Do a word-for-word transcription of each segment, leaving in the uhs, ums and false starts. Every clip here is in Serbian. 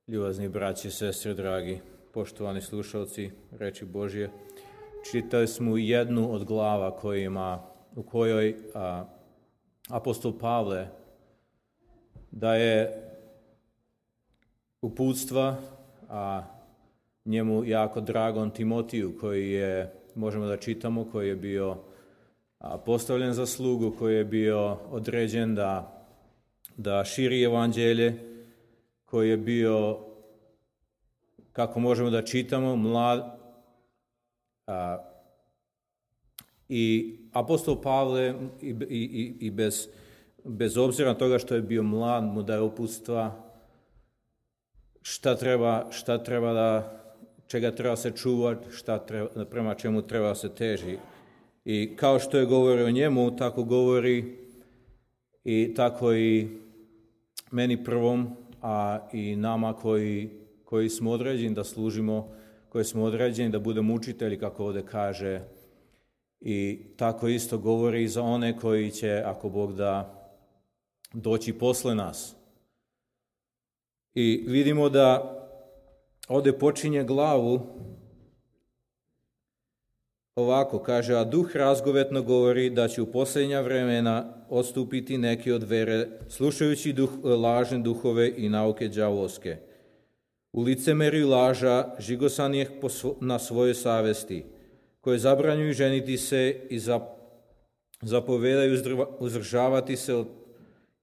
Ljubazni braći i sestre, dragi, poštovani slušalci reči Božje, čitali smo jednu od glava kojima, u kojoj a, apostol Pavle daje uputstva a njemu jako dragom Timotiju, koji je, možemo da čitamo, koji je bio a, postavljen za slugu, koji je bio određen da, da širi evanđelje, koji je bio, kako možemo da čitamo, mlad. A, I apostol Pavle, i, i, i bez, bez obzira na toga što je bio mlad, mu daje uputstva šta treba, šta treba da, čega treba se čuvati, šta treba, prema čemu treba se teži. I kao što je govorio o njemu, tako govori i tako i meni prvom, a i nama koji, koji smo određeni da služimo, koji smo određeni da budemo učitelji, kako ovdje kaže. I tako isto govori i za one koji će, ako Bog da, doći posle nas. I vidimo da ovdje počinje glavu ovako, kaže, a duh razgovetno govori da će u posljednja vremena odstupiti neki od vere, slušajući duh, lažne duhove i nauke đavolske. U licemerju laža žigosanih na svojoj savesti, koje zabranjuju ženiti se i zapovedaju uzdržavati se od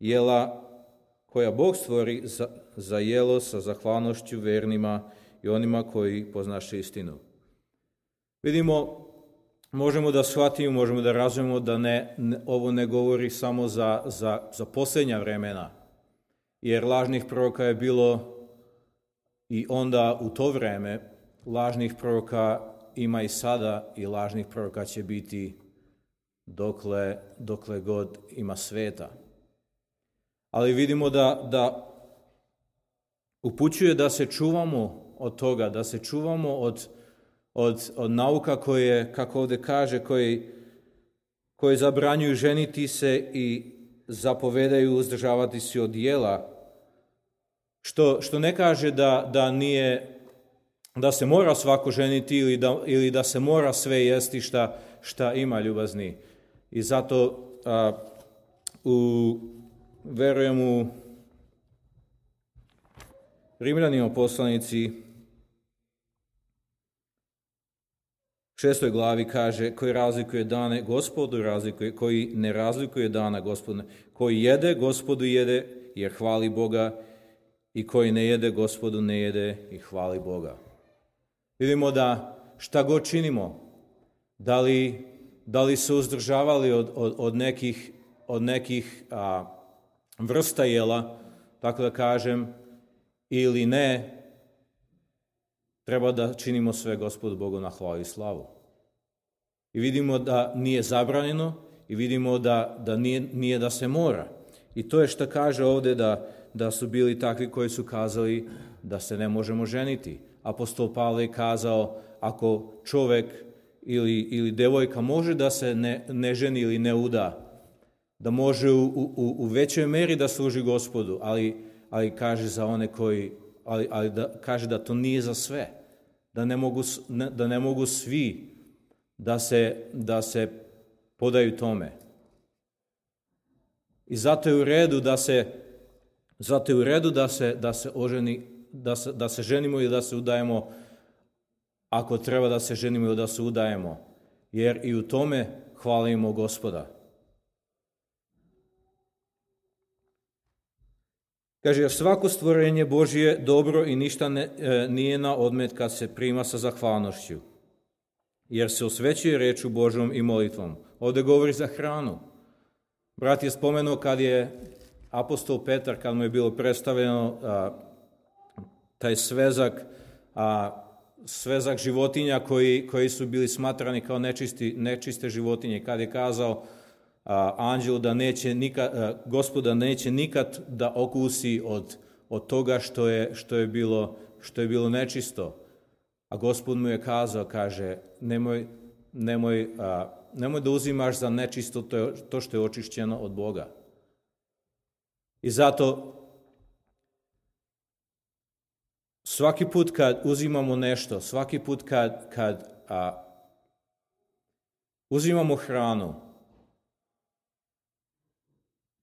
jela koja Bog stvori za, za jelo sa zahvalnošću vernima i onima koji poznaše istinu. Vidimo, možemo da shvatimo, možemo da razumemo da ne, ne, ovo ne govori samo za, za, za posljednja vremena, jer lažnih proroka je bilo i onda u to vreme, lažnih proroka ima i sada i lažnih proroka će biti dokle, dokle god ima sveta. Ali vidimo da, da upućuje da se čuvamo od toga, da se čuvamo od, od, od nauka koje, kako ovdje kaže, koji, koji zabranjuju ženiti se i zapovedaju uzdržavati se od jela, što, što ne kaže da, da nije, da se mora svako ženiti ili da, ili da se mora sve jesti šta, šta ima, ljubazni. I zato a, u, verujem u Rimljanima poslanici šestoj glavi kaže, koji razlikuje dane Gospodu, razlikuje, koji ne razlikuje dana Gospodu, koji jede, Gospodu jede jer hvali Boga, i koji ne jede, Gospodu ne jede i hvali Boga. Vidimo da šta god činimo, da li, da li se uzdržavali od, od, od nekih, od nekih a, vrsta jela, tako da kažem, ili ne, treba da činimo sve Gospodu Bogu na hvalu i slavu. I vidimo da nije zabranjeno i vidimo da, da nije, nije da se mora. I to je što kaže ovdje da, da su bili takvi koji su kazali da se ne možemo ženiti. Apostol Pavle je kazao, ako čovjek ili, ili devojka može da se ne, ne ženi ili ne uda, da može u, u, u većoj meri da služi Gospodu, ali, ali kaže za one koji, ali, ali da, kaže da to nije za sve, da ne mogu, ne, da ne mogu svi da se, da se podaju tome. I zato je u redu da se, zato je u redu da se, da se oženi, da se, da se ženimo ili da se udajemo, ako treba da se ženimo ili da se udajemo, jer i u tome hvalimo Gospoda. Kaže, jer svako stvorenje Božje dobro i ništa ne, e, nije na odmet kad se prima sa zahvalnošću, jer se osvećuje reču Božjom i molitvom. Ovdje govori za hranu. Brat je spomenuo kad je apostol Petar, kad mu je bilo predstavljeno a, taj svezak, a, svezak životinja koji, koji su bili smatrani kao nečisti, nečiste životinje, kad je kazao a, anđelu da neće nikad, a, Gospoda neće nikad da okusi od, od toga što je, što je bilo, što je bilo nečisto. A Gospod mu je kazao, kaže, nemoj, nemoj, a, nemoj da uzimaš za nečisto to, to što je očišćeno od Boga. I zato svaki put kad uzimamo nešto, svaki put kad, kad a, uzimamo hranu,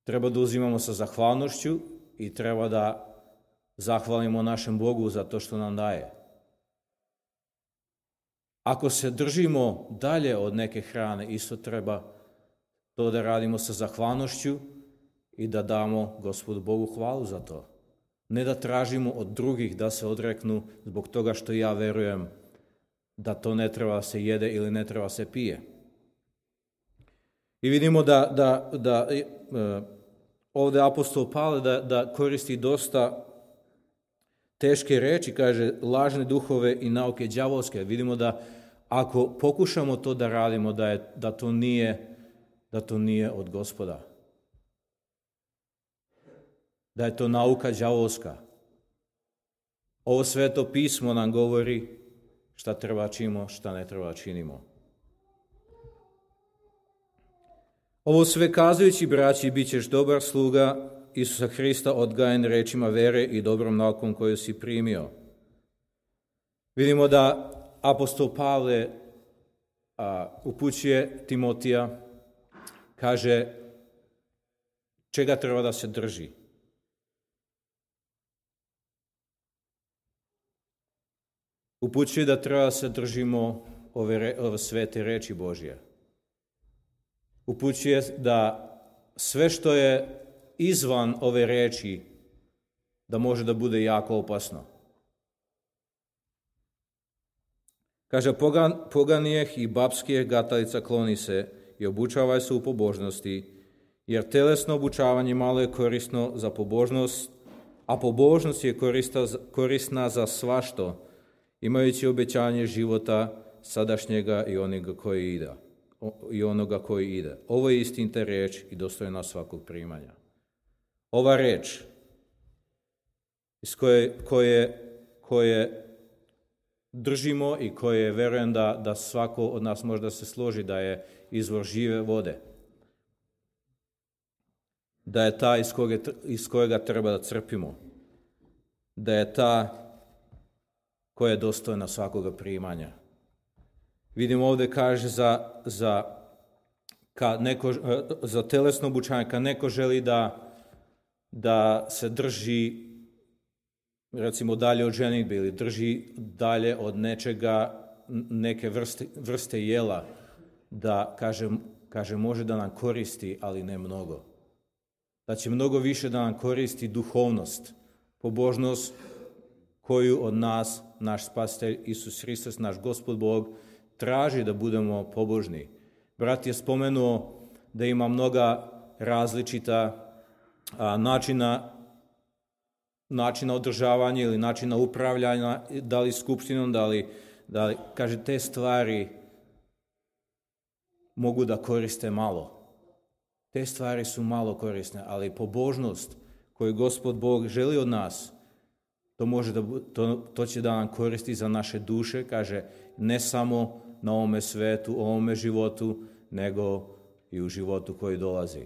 treba da uzimamo sa zahvalnošću i treba da zahvalimo našem Bogu za to što nam daje. Ako se držimo dalje od neke hrane, isto treba to da radimo sa zahvalnošću i da damo Gospodu Bogu hvalu za to. Ne da tražimo od drugih da se odreknu zbog toga što ja verujem da to ne treba se jede ili ne treba se pije. I vidimo da, da, da e, ovdje apostol Pavle da, da koristi dosta teške reči, kaže lažne duhove i nauke đavolske. Vidimo da ako pokušamo to da radimo, da, je, da, to, nije, da to nije od Gospoda. Da je to nauka đavolska. Ovo sveto pismo nam govori šta treba činimo, šta ne treba činimo. Ovo sve kazujući, braći, bit ćeš dobar sluga Isusa Hrista, odgajen rečima vere i dobrom naukom koju si primio. Vidimo da apostol Pavle a, upućuje Timotija, kaže čega treba da se drži. Upućuje da treba da se držimo ove, ove svete reči Božje. Upućuje da sve što je izvan ove reči, da može da bude jako opasno. Kaže, pogan, poganijeh i babskijeh gatalica kloni se i obučavaj se u pobožnosti, jer telesno obučavanje malo je korisno za pobožnost, a pobožnost je korista, korisna za svašto, imajući obećanje života sadašnjega i onoga koji ide. I onoga koji ide. Ovo je istinita reč i dostojna svakog primanja. Ova reč iz koje, koje, koje držimo i koje verujem da, da svako od nas možda se složi da je izvor žive vode. Da je ta iz kojega, iz kojega treba da crpimo. Da je ta koja je dostojna svakoga primanja. Vidimo ovdje kaže za, za, kad neko, za telesno obučanje, kad neko želi da, da se drži recimo dalje od ženidbe ili drži dalje od nečega, neke vrste, vrste jela, da kaže, kaže može da nam koristi, ali ne mnogo. Da će mnogo više da nam koristi duhovnost, pobožnost koju od nas naš spasitelj Isus Hristos, naš Gospod Bog, traži da budemo pobožni. Brat je spomenuo da ima mnoga različita a, načina, načina održavanja ili načina upravljanja, da li skupštinom, da li, da li, kaže, te stvari mogu da koriste malo. Te stvari su malo korisne, ali pobožnost koju Gospod Bog želi od nas, to, može da, to, to će da nam koristi za naše duše, kaže, ne samo na ovome svetu, ovome životu, nego i u životu koji dolazi.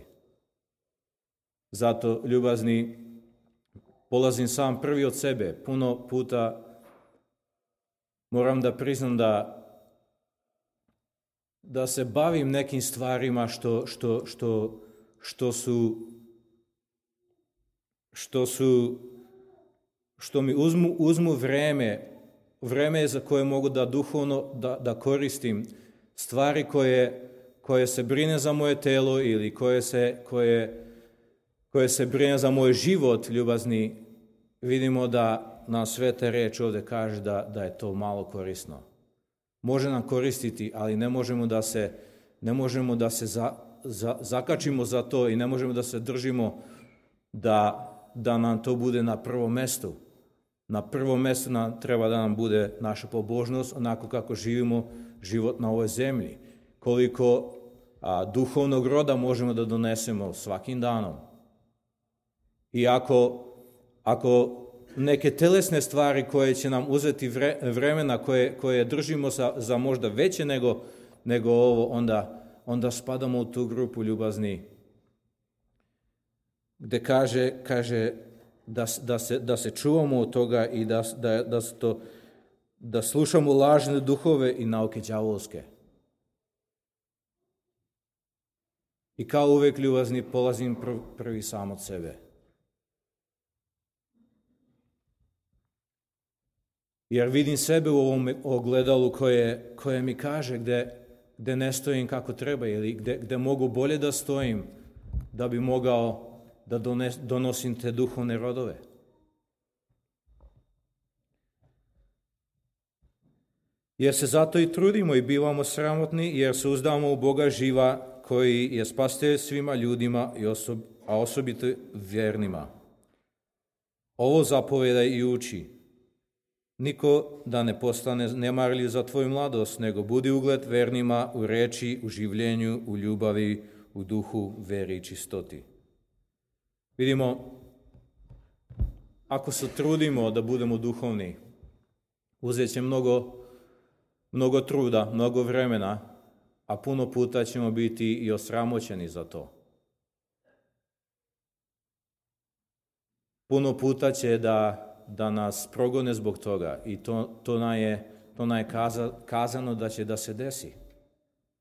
Zato, ljubazni, polazim sam prvi od sebe. Puno puta moram da priznam da, da se bavim nekim stvarima što, što, što, što su što su što mi uzmu, uzmu vreme, vreme za koje mogu da duhovno da, da koristim, stvari koje, koje se brine za moje telo ili koje se, koje, koje se brine za moj život, ljubazni, vidimo da nam sveta reč ovdje kaže da, da je to malo korisno. Može nam koristiti, ali ne možemo da se, ne možemo da se za, za, zakačimo za to i ne možemo da se držimo da, da nam to bude na prvom mestu. Na prvom mjestu nam treba da nam bude naša pobožnost, onako kako živimo život na ovoj zemlji. Koliko a, duhovnog roda možemo da donesemo svakim danom. I ako, ako neke telesne stvari koje će nam uzeti vre, vremena, koje, koje držimo za, za možda veće nego, nego ovo, onda, onda spadamo u tu grupu ljubazni. Gde kaže, kaže da, da, se, da se čuvamo od toga i da, da, da, to, da slušamo lažne duhove i nauke đavolske. I kao uvek, ljubazni, polazim prvi sam od sebe. Jer vidim sebe u ovom ogledalu koje, koje mi kaže gde, gde ne stojim kako treba ili gde, gde mogu bolje da stojim da bi mogao da dones, donosim te duhovne rodove. Jer se zato i trudimo i bivamo sramotni jer se uzdamo u Boga živa koji je spasitelj svima ljudima, i osob, a osobito vjernima. Ovo zapoveda i uči. Niko da ne postane nemarljiv za tvoju mladost, nego budi ugled vernima u reči, u življenju, u ljubavi, u duhu, veri i čistoti. Vidimo, ako se trudimo da budemo duhovni, uzet će mnogo, mnogo truda, mnogo vremena, a puno puta ćemo biti i osramoćeni za to. Puno puta će da da nas progone zbog toga i to, to nam je, to nam je kaza, kazano da će da se desi.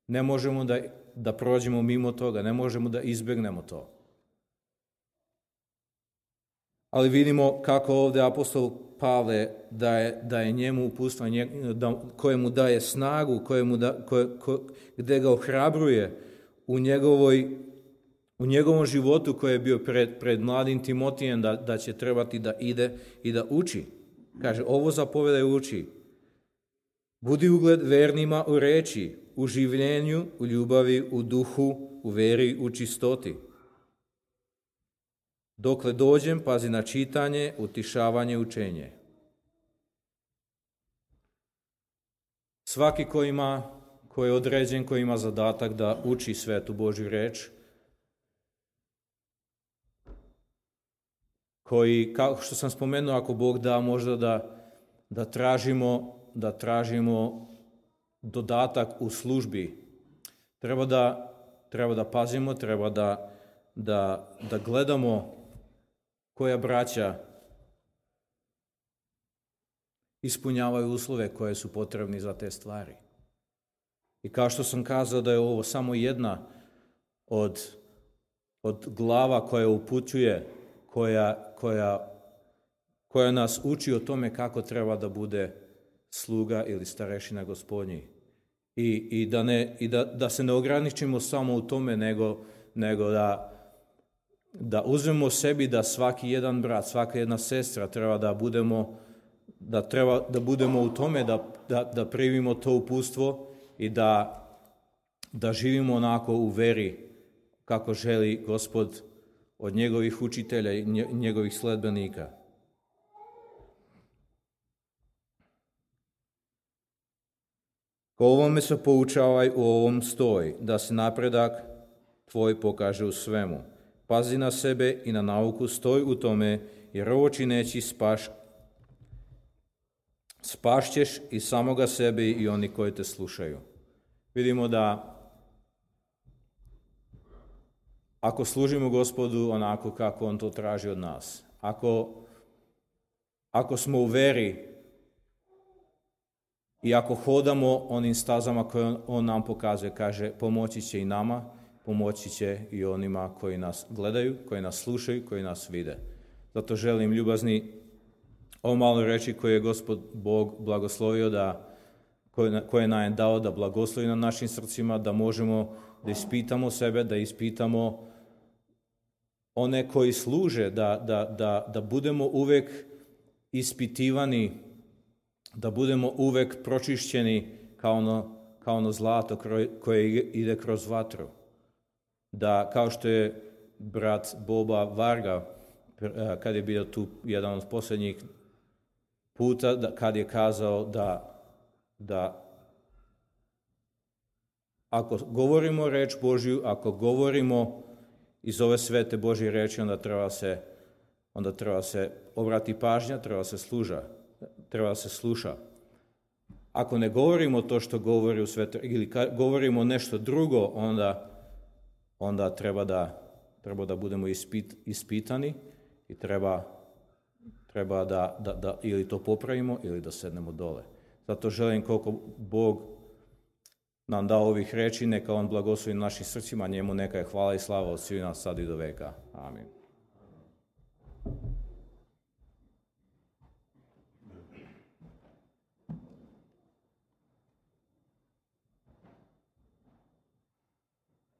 Ne možemo da, da prođemo mimo toga, ne možemo da izbjegnemo to. Ali vidimo kako ovdje apostol Pavle daje, daje njemu uputstvo, da, koje mu daje snagu, koje mu da, koje, koje, gdje ga ohrabruje u njegovoj u njegovom životu koji je bio pred, pred mladim Timotijem da, da će trebati da ide i da uči. Kaže, ovo zapoveda i uči. Budi ugled vernima u reči, u življenju, u ljubavi, u duhu, u veri, u čistoti. Dokle dođem, pazi na čitanje, utišavanje, učenje. Svaki ko ima, ko je određen, ko ima zadatak da uči svetu Božju reč, koji, kao što sam spomenuo, ako Bog da, možda da, da, tražimo, da tražimo dodatak u službi. Treba da, treba da pazimo, treba da, da, da gledamo koja braća ispunjavaju uslove koje su potrebni za te stvari. I kao što sam kazao da je ovo samo jedna od, od glava koja upućuje, koja, koja, koja nas uči o tome kako treba da bude sluga ili starešina Gospodnji. I, i, da, ne, i da, da se ne ograničimo samo u tome, nego, nego da, da uzmemo sebi da svaki jedan brat, svaka jedna sestra treba da budemo, da treba da budemo u tome, da, da, da primimo to uputstvo i da, da živimo onako u veri kako želi Gospod od njegovih učitelja i njegovih sledbenika. Ko ovome se poučavaj, u ovom stoj, da se napredak tvoj pokaže u svemu. Pazi na sebe i na nauku, stoj u tome, jer ovo čineći spaš, spašćeš i samoga sebe i oni koji te slušaju. Vidimo da ako služimo Gospodu onako kako On to traži od nas, ako, ako smo u veri i ako hodamo onim stazama koje on, on nam pokazuje, kaže, pomoći će i nama, pomoći će i onima koji nas gledaju, koji nas slušaju, koji nas vide. Zato želim, ljubazni, ovo malo reći koje je Gospod Bog blagoslovio, da, koje, koje nam je dao da blagoslovi na našim srcima, da možemo da ispitamo sebe, da ispitamo one koji služe, da, da, da, da budemo uvek ispitivani, da budemo uvek pročišćeni kao ono, kao ono zlato koje ide kroz vatru. Da, kao što je brat Boba Varga, kad je bio tu jedan od posljednjih puta, da, kad je kazao da, da ako govorimo reč Božju, ako govorimo iz ove svete Božje reči, onda treba se, onda treba se obrati pažnja, treba se služa, treba se sluša. Ako ne govorimo to što govori u svete, ili govorimo nešto drugo, onda, onda treba, da, treba da budemo ispit, ispitani i treba treba da, da, da ili to popravimo ili da sednemo dole. Zato želim koliko Bog nam da ovih reči, neka on blagoslovi našim srcima, njemu neka je hvala i slava od svih nas sad i do veka. Amin.